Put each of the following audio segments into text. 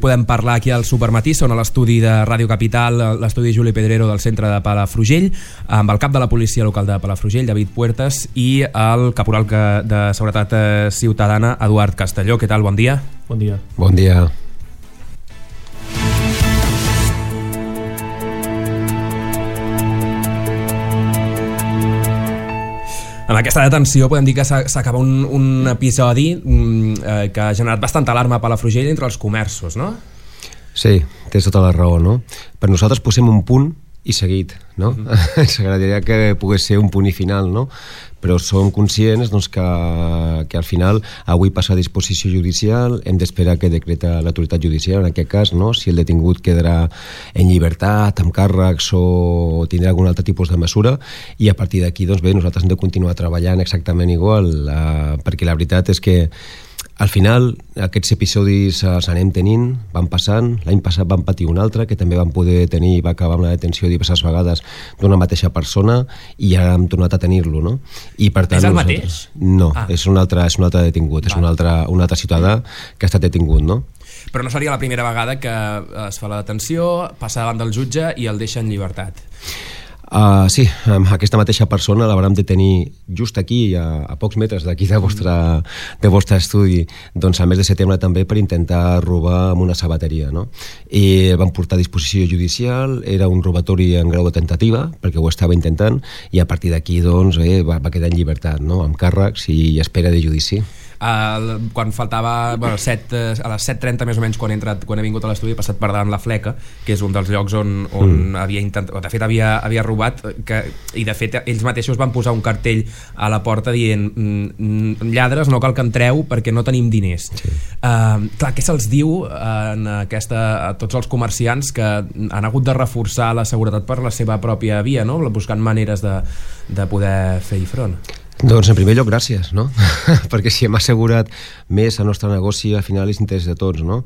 podem parlar aquí al Supermatí. Són a l'estudi de Ràdio Capital, l'estudi Juli Pedrero del centre de Palafrugell, amb el cap de la policia local de Palafrugell, David Puertas, i el caporal de Seguretat Ciutadana, Eduard Castelló. Què tal? Bon dia. Bon dia. Bon dia. En aquesta detenció podem dir que s'acaba un episodi que ha generat bastanta alarma a Palafrugell entre els comerços, no? Sí, tens tota la raó, no? Per nosaltres posem un punt i seguit, no? Ens agradaria que pogués ser un punt i final, no? Però som conscients doncs, que al final avui passa a disposició judicial, hem d'esperar que decreta l'autoritat judicial, en aquest cas, no? Si el detingut quedarà en llibertat, amb càrrecs o tindrà algun altre tipus de mesura, i a partir d'aquí, doncs bé, nosaltres hem de continuar treballant exactament igual, perquè la veritat és que al final aquests episodis els anem tenint, van passant. L'any passat vam patir un altre que també vam poder tenir, va acabar amb la detenció diverses vegades d'una mateixa persona, i ara hem tornat a tenir-lo, no? I per tant, és el mateix? No, és un altre detingut, és un altre ciutadà que ha estat detingut, no? Però no seria la primera vegada que es fa la detenció, passa davant del jutge i el deixa en llibertat. Sí, aquesta mateixa persona la vam detenir just aquí, a pocs metres d'aquí del vostre estudi, doncs al mes de setembre també, per intentar robar amb una sabateria, no? I el van portar a disposició judicial, era un robatori en grau de tentativa, perquè ho estava intentant, i a partir d'aquí doncs, va quedar en llibertat, no? Amb càrrecs i espera de judici. Quan faltava a les 7:30 més o menys, quan he vingut a l'estudi, he passat per davant la Fleca, que és un dels llocs on havia intentat, de fet havia robat, i de fet ells mateixos van posar un cartell a la porta dient lladres, no cal que entreu perquè no tenim diners. Sí. Clar, què se'ls diu a tots els comerciants que han hagut de reforçar la seguretat per la seva pròpia via, no? Buscant maneres de poder fer-hi front? Doncs en primer lloc gràcies, no? Perquè si hem assegurat més el nostre negoci, al final és interès de tots, no?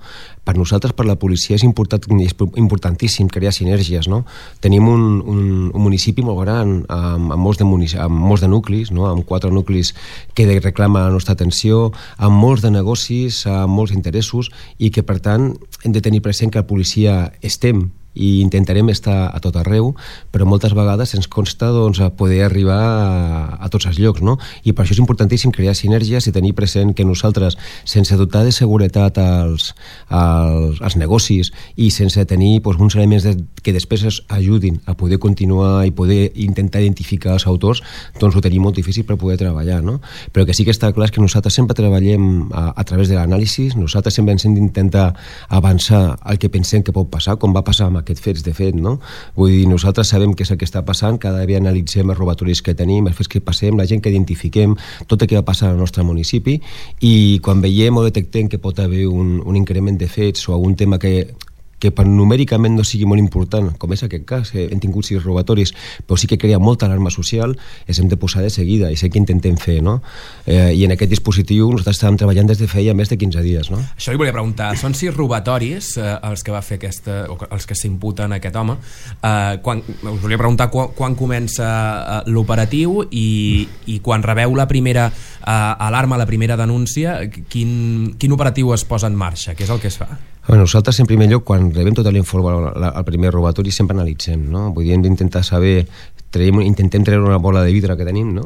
Per nosaltres, per la policia, és importantíssim crear sinergies, no? Tenim un municipi molt gran, amb molts de nuclis, no? Amb 4 nuclis que reclamen la nostra atenció, amb molts de negocis, amb molts interessos, i que per tant hem de tenir present que la policia estem i intentarem estar a tot arreu, però moltes vegades ens consta doncs, poder arribar a tots els llocs, no? I per això és importantíssim crear sinergies i tenir present que nosaltres, sense dotar de seguretat als negocis i sense tenir doncs, uns elements que després es ajudin a poder continuar i poder intentar identificar els autors, doncs ho tenim molt difícil per poder treballar, no? Però que sí que està clar que nosaltres sempre treballem a través de l'anàlisi, nosaltres sempre ens hem d'intentar avançar el que pensem que pot passar, com va passar amb aquests fets, de fet, no? Vull dir, nosaltres sabem què és el que està passant, cada dia analitzem els robatoris que tenim, els fets que passem, la gent que identifiquem, tot el que va passar al nostre municipi, i quan veiem o detectem que pot haver un increment de fets o algun tema que numèricament no sigui molt important, com és aquest cas, hem tingut 6 robatoris, però sí que crea molta alarma social, els hem de posar de seguida, i sé que intentem fer, no? I en aquest dispositiu nosaltres estàvem treballant des de feia més de 15 dies, no? Això li volia preguntar, són 6 robatoris els que va fer els que s'imputen a aquest home. Us volia preguntar quan comença l'operatiu i quan rebeu la primera alarma, la primera denúncia, quin operatiu es posa en marxa? Què és el que es fa? Nosaltres, en primer lloc, quan rebem tot l'informe al primer robatori, sempre analitzem, no? Vull dir, hem d'intentar saber, intentem treure una bola de vidre que tenim, no?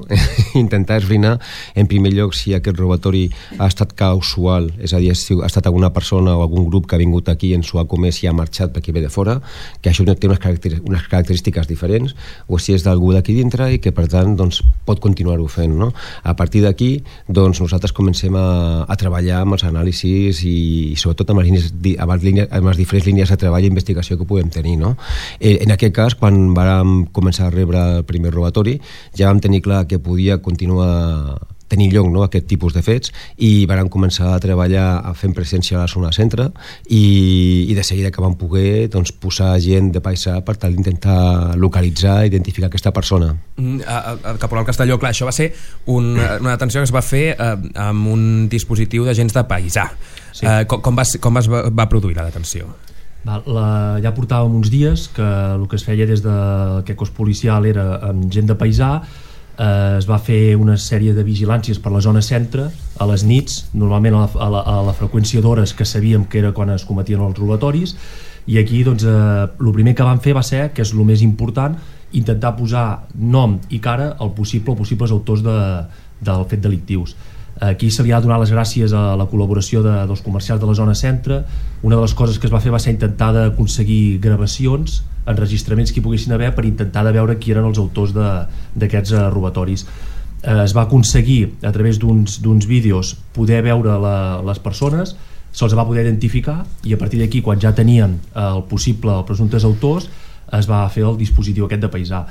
Intentar esbrinar, en primer lloc, si aquest robatori ha estat casual, és a dir, ha estat alguna persona o algun grup que ha vingut aquí, ens ho ha comès i ha marxat perquè ve de fora, que això té unes característiques diferents, o si és d'algú d'aquí dintre i que, per tant, doncs, pot continuar-ho fent, no? A partir d'aquí, doncs, nosaltres comencem a treballar amb els anàlisis i sobretot amb les diferents línies de treball i investigació que podem tenir, no? En aquest cas, quan vam començar a rebre el primer robatori, ja vam tenir clar que podia continuar tenir lloc, no, aquest tipus de fets, i vam començar a treballar fent presència a la zona centre i de seguida que vam poder doncs, posar gent de paisà per tal d'intentar localitzar i identificar aquesta persona. Caporal Castelló, clar, això va ser una detenció que es va fer amb un dispositiu d'agents de paisà. Sí. Com es va produir la detenció? Ja portàvem uns dies que el que es feia des d'aquest cos policial era amb gent de paisà, es va fer una sèrie de vigilàncies per la zona centre a les nits, normalment a la freqüència d'hores que sabíem que era quan es cometien els robatoris, i aquí doncs, el primer que van fer va ser, que és el més important, intentar posar nom i cara als possibles autors del fet delictius. Aquí se li ha donat les gràcies a la col·laboració dels comercials de la zona centre. Una de les coses que es va fer va ser intentar aconseguir gravacions, enregistraments que hi poguessin haver per intentar de veure qui eren els autors d'aquests robatoris. Es va aconseguir a través d'uns vídeos poder veure les persones, se'ls va poder identificar, i a partir d'aquí, quan ja tenien els presumptes autors, es va fer el dispositiu aquest de paisà.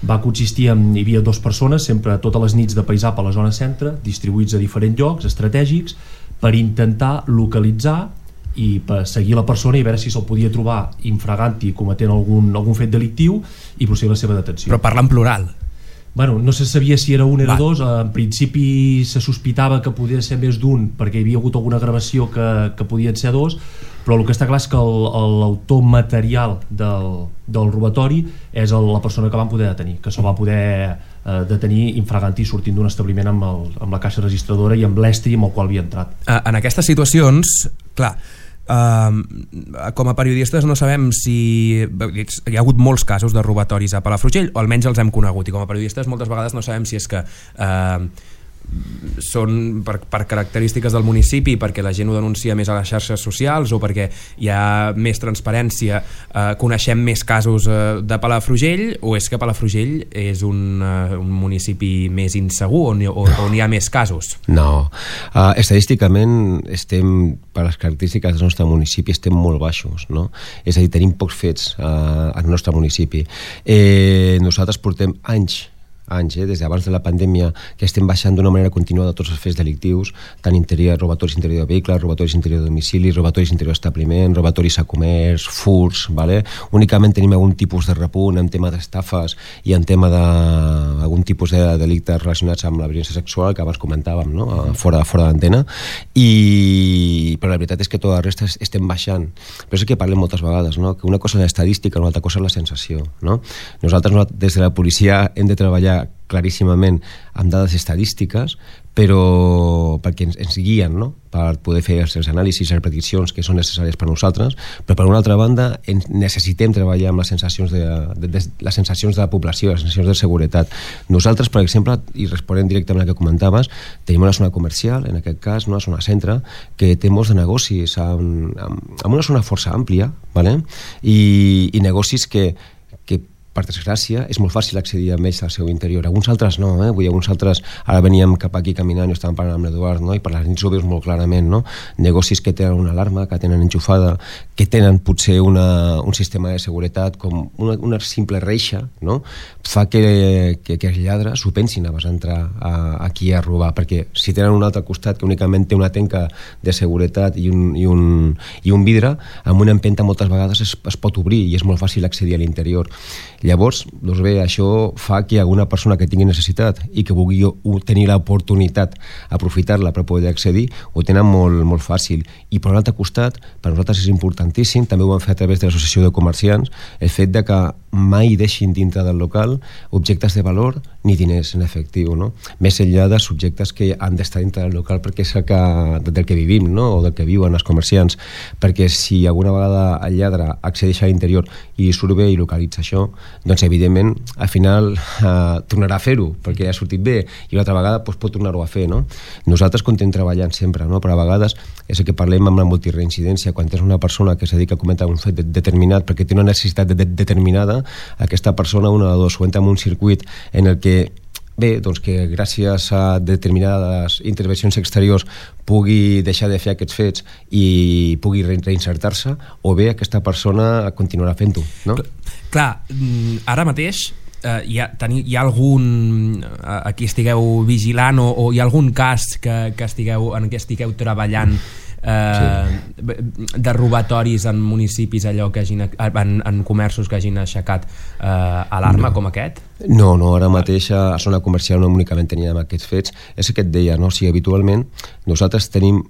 Va consistir hi havia 2 persones sempre totes les nits de paisà per la zona centre, distribuïts a diferents llocs estratègics, per intentar localitzar i per seguir la persona i veure si se'l podia trobar infraganti cometent algun fet delictiu i procedir a la seva detenció. Però parla en plural. Bueno, no se sabia si era un o era dos. En principi se sospitava que podia ser més d'un perquè hi havia hagut alguna gravació que podien ser 2, però el que està clar és que l'autor material del robatori és la persona que van poder detenir, que se'l va poder detenir infraganti sortint d'un establiment amb la caixa registradora i amb l'estri amb el qual havia entrat. En aquestes situacions, clar, com a periodistes no sabem si hi ha hagut molts casos de robatoris a Palafrugell, o almenys els hem conegut, i com a periodistes moltes vegades no sabem si és que són per característiques del municipi, perquè la gent ho denuncia més a les xarxes socials, o perquè hi ha més transparència, coneixem més casos de Palafrugell, o és que Palafrugell és un municipi més insegur on hi ha més casos? No, estadísticament estem, per les característiques del nostre municipi, estem molt baixos, no? És a dir, tenim pocs fets al nostre municipi. Nosaltres portem anys, des d'abans de la pandèmia, que estem baixant d'una manera continuada tots els fets delictius, tant robatoris interior de vehicles, robatoris interior de domicili, robatoris interior d'establiment, robatoris a comerç, furts, ¿vale? Únicament tenim algun tipus de repunt en tema d'estafes i en tema d'algun tipus de delictes relacionats amb la violència sexual, que abans comentàvem, no? fora d'antena, però la veritat és que tota la resta estem baixant. Però és que parlem moltes vegades, no? Que una cosa és l'estadística, una altra cosa és la sensació, no? Nosaltres des de la policia hem de treballar claríssimament amb dades estadístiques, però perquè ens guien, no? Per poder fer els anàlisis i les prediccions que són necessàries per nosaltres, però per una altra banda necessitem treballar amb les sensacions de la població, les sensacions de seguretat. Nosaltres, per exemple, i responent directament al que comentaves, tenim una zona comercial, en aquest cas una zona centre, que té molts de negocis amb una zona força àmplia, ¿vale? I negocis que per desgràcia, és molt fàcil accedir a ells al seu interior. Alguns altres no, Vull dir, alguns altres, ara veníem cap aquí caminant i estàvem parlant amb l'Eduard, no? I per les nits ho veus molt clarament, no? Negocis que tenen una alarma, que tenen enxufada, que tenen potser un sistema de seguretat com una simple reixa, no? Fa que els lladres ho pensin abans d'entrar aquí a robar, perquè si tenen un altre costat que únicament té una tanca de seguretat i un vidre, amb una empenta moltes vegades es pot obrir i és molt fàcil accedir a l'interior. Llavors, doncs bé, això fa que alguna persona que tingui necessitat i que vulgui tenir l'oportunitat d'aprofitar-la per poder accedir, ho tenen molt, molt fàcil. I per un altre costat, per nosaltres és importantíssim, també ho vam fer a través de l'Associació de Comerciants, el fet de que mai deixin dintre del local objectes de valor ni diners en efectiu, no? Més enllà de subjectes que han d'estar dintre del local perquè és del que vivim, no? O del que viuen els comerciants, perquè si alguna vegada el lladre accedeix a l'interior i surt bé i localitza això, doncs evidentment al final tornarà a fer-ho perquè ha sortit bé i una altra vegada pot tornar-ho a fer, no? Nosaltres continuem treballant sempre, no? Però a vegades és el que parlem amb la multireincidència, quan tens una persona que es dedica a cometre un fet determinat perquè té una necessitat determinada, aquesta persona una o dos ho entra en un circuit en el que doncs que gràcies a determinades intervencions exteriors pugui deixar de fer aquests fets i pugui reinsertar-se, o bé aquesta persona continuarà fent-ho, no? Clar, ara mateix hi ha algun a qui estigueu vigilant o hi ha algun cas en què estigueu treballant de robatoris en municipis en comerços que hagin aixecat alarma com aquest? No, ara mateix a zona comercial no únicament teníem aquests fets, és el que et deia, no? O sigui, habitualment nosaltres tenim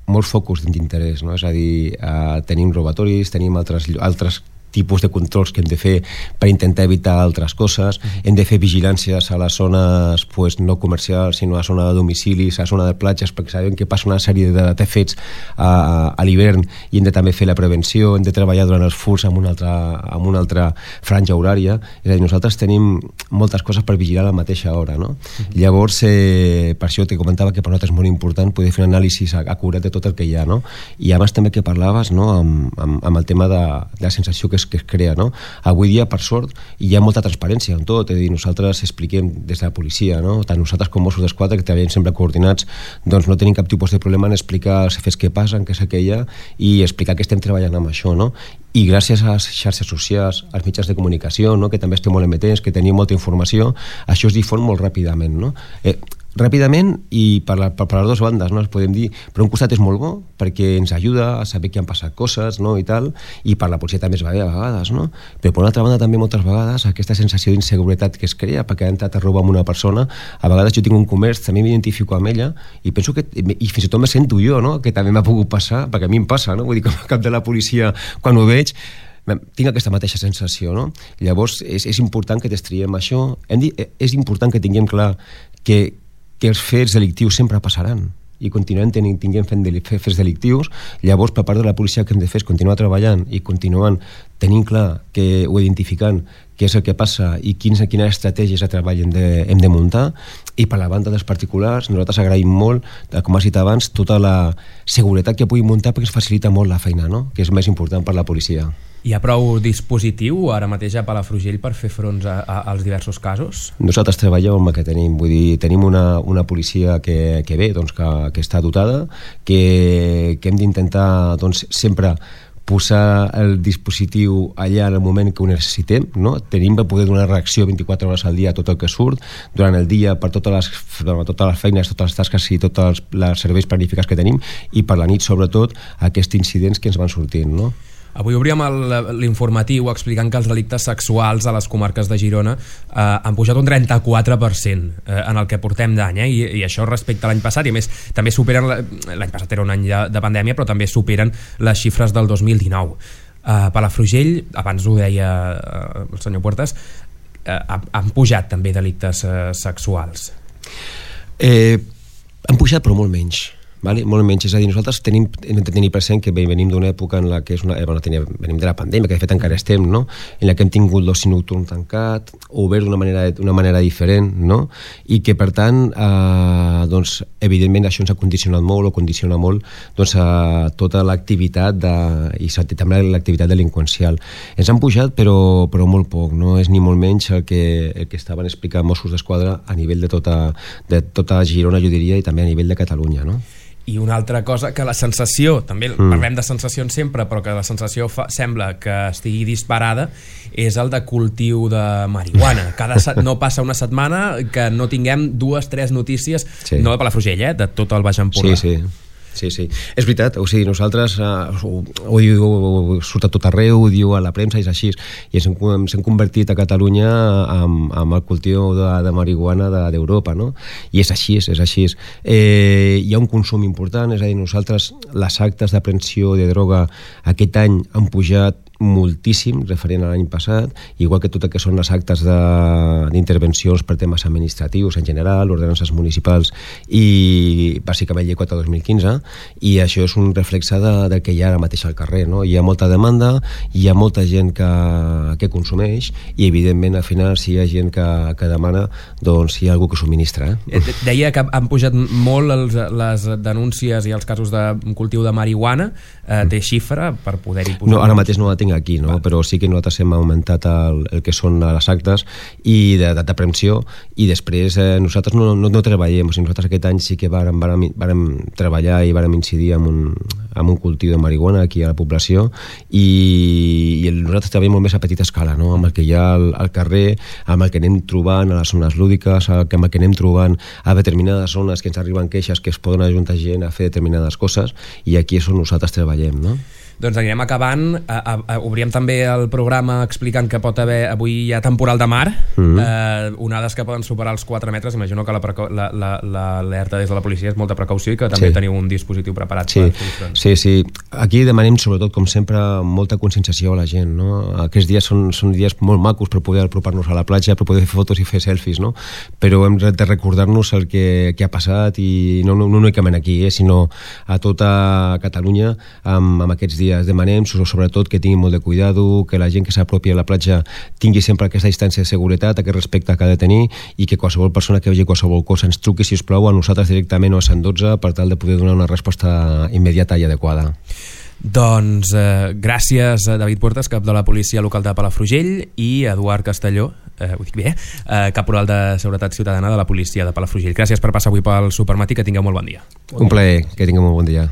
molts focus d'interès, no? És a dir, tenim robatoris, tenim altres tipus de controls que hem de fer per intentar evitar altres coses. Hem de fer vigilàncies a les zones no comercials, sinó a la zona de domicilis, a la zona de platges, perquè sabem que passa una sèrie de fets a l'hivern i hem de també fer la prevenció, hem de treballar durant els furs amb una altra franja horària. És a dir, nosaltres tenim moltes coses per vigilar a la mateixa hora, no? Llavors, per això te comentava que per nosaltres és molt important poder fer un anàlisi acurat de tot el que hi ha, no? I abans també que parlaves, no? amb el tema de la sensació que es crea, no? Avui dia, per sort, hi ha molta transparència en tot, és a dir, nosaltres expliquem des de la policia, no? Tant nosaltres com Mossos d'Esquadra, que treballem sempre coordinats, doncs no tenim cap tipus de problema en explicar els fets que passen, què és el que hi ha, i explicar que estem treballant amb això, no? I gràcies a les xarxes socials, als mitjans de comunicació, no? Que també estem molt emetents, que tenim molta informació, això es difon molt ràpidament, no? Ràpidament i per les dues bandes, no? Podem dir, per un costat és molt bo perquè ens ajuda a saber que han passat coses, no? I tal, i per la policia també es va bé a vegades, no? Però per una altra banda també moltes vegades aquesta sensació d'inseguretat que es crea perquè ha entrat a robar amb una persona. A vegades jo tinc un comerç, també m'identifico amb ella i penso que, i fins i tot me sento jo, no? Que també m'ha pogut passar, perquè a mi em passa, no? Vull dir, com a cap de la policia, quan ho veig tinc aquesta mateixa sensació, no? Llavors és important que destriem això. És important que tinguem clar que els fets delictius sempre passaran i continuem fent fets delictius. Llavors, per part de la policia, que hem de fer és continuar treballant i continuant tenint clar o identificant què és el que passa i quines estratègies de treball hem de muntar. I per la banda dels particulars, nosaltres agraïm molt, com has dit abans, tota la seguretat que puguin muntar perquè ens facilita molt la feina, no? Que és més important per la policia. Hi ha prou dispositiu ara mateix a Palafrugell per fer front als diversos casos? Nosaltres treballem amb el que tenim, vull dir, tenim una policia que ve, doncs, que està dotada, que hem d'intentar, doncs, sempre posar el dispositiu allà en el moment que ho necessitem, no? Tenim per poder donar reacció 24 hores al dia a tot el que surt, durant el dia per totes les feines, totes les tasques i tots els serveis planificats que tenim, i per la nit, sobretot, aquests incidents que ens van sortint, no? Avui obríem l'informatiu explicant que els delictes sexuals a les comarques de Girona han pujat un 34% en el que portem d'any, i això respecte a l'any passat, i a més també superen, l'any passat era un any de pandèmia, però també superen les xifres del 2019. Palafrugell, abans ho deia el senyor Puertas, han pujat també delictes sexuals. Han pujat però molt menys. Vale? Molt menys, és a dir, nosaltres hem de tenir present que venim d'una època en la que venim de la pandèmia, que de fet encara estem, no? En la que hem tingut l'oci nocturn tancat, obert d'una manera diferent, no? I que per tant doncs, evidentment això ens ha condicionat molt, o condiciona molt, doncs, a tota l'activitat i també l'activitat delinqüencial. Ens han pujat però molt poc, no és ni molt menys el que estaven explicant Mossos d'Esquadra a nivell de tota Girona, jo diria, i també a nivell de Catalunya, no? I una altra cosa, que la sensació, també parlem de sensacions sempre, però que la sensació sembla que estigui disparada, és el de cultiu de marihuana. No passa una setmana que no tinguem 2-3 notícies, sí. No de Palafrugell, de tot el Baix Empordà. Sí, és veritat, o sigui, nosaltres surt a tot arreu, ho diu a la premsa, és així, i ens hem convertit a Catalunya amb el cultiu de marihuana d'Europa, no? I és així. Hi ha un consum important, és a dir, nosaltres les actes d'aprehensió de droga aquest any han pujat moltíssim referent a l'any passat, igual que tot el que són les actes d'intervencions per temes administratius en general, ordenances municipals i bàsicament llei 4/2015, i això és un reflexe del que hi ha ara mateix al carrer, no? Hi ha molta demanda, hi ha molta gent que consumeix, i evidentment al final si hi ha gent que demana, doncs hi ha algú que subministra. Deia que han pujat molt les denúncies i els casos de cultiu de marihuana. Té xifra per poder-hi posar? No, ara mateix no la tinc aquí, no? Però sí que nosaltres hem augmentat el que són les actes i d'aprehensió, i després nosaltres no treballem, o sigui, nosaltres aquest any sí que vàrem treballar i vàrem incidir en un cultiu de marihuana aquí a la població, i nosaltres treballem molt més a petita escala, no? Amb el que hi ha al carrer, amb el que anem trobant a les zones lúdiques, amb el que anem trobant a determinades zones que ens arriben queixes que es poden ajuntar gent a fer determinades coses, i aquí és on nosaltres treballem, no? Doncs anirem acabant. Obríem també el programa explicant que pot haver, avui hi ha temporal de mar, onades que poden superar els 4 metres. Imagino que l'alerta des de la policia és molta precaució i que també teniu un dispositiu preparat. Sí. Aquí demanem sobretot, com sempre, molta conscienciació a la gent, no? Aquests dies són dies molt macos per poder apropar-nos a la platja, per poder fer fotos i fer selfies, no? Però hem de recordar-nos el que ha passat, i no únicament aquí, sinó a tota Catalunya amb aquests dies. Demanem sobretot que tinguin molt de cuidado, que la gent que s'apropi a la platja tingui sempre aquesta distància de seguretat, aquest respecte que ha de tenir, i que qualsevol persona que vegi qualsevol cosa ens truqui, si us plau, a nosaltres directament o a 112 per tal de poder donar una resposta immediata i adequada. Doncs gràcies a David Puertas, cap de la policia local de Palafrugell, i Eduard Castelló, ho dic bé, caporal de Seguretat Ciutadana de la policia de Palafrugell. Gràcies per passar avui pel Supermatí, que tingueu molt bon dia. Un plaer, que tingueu molt bon dia.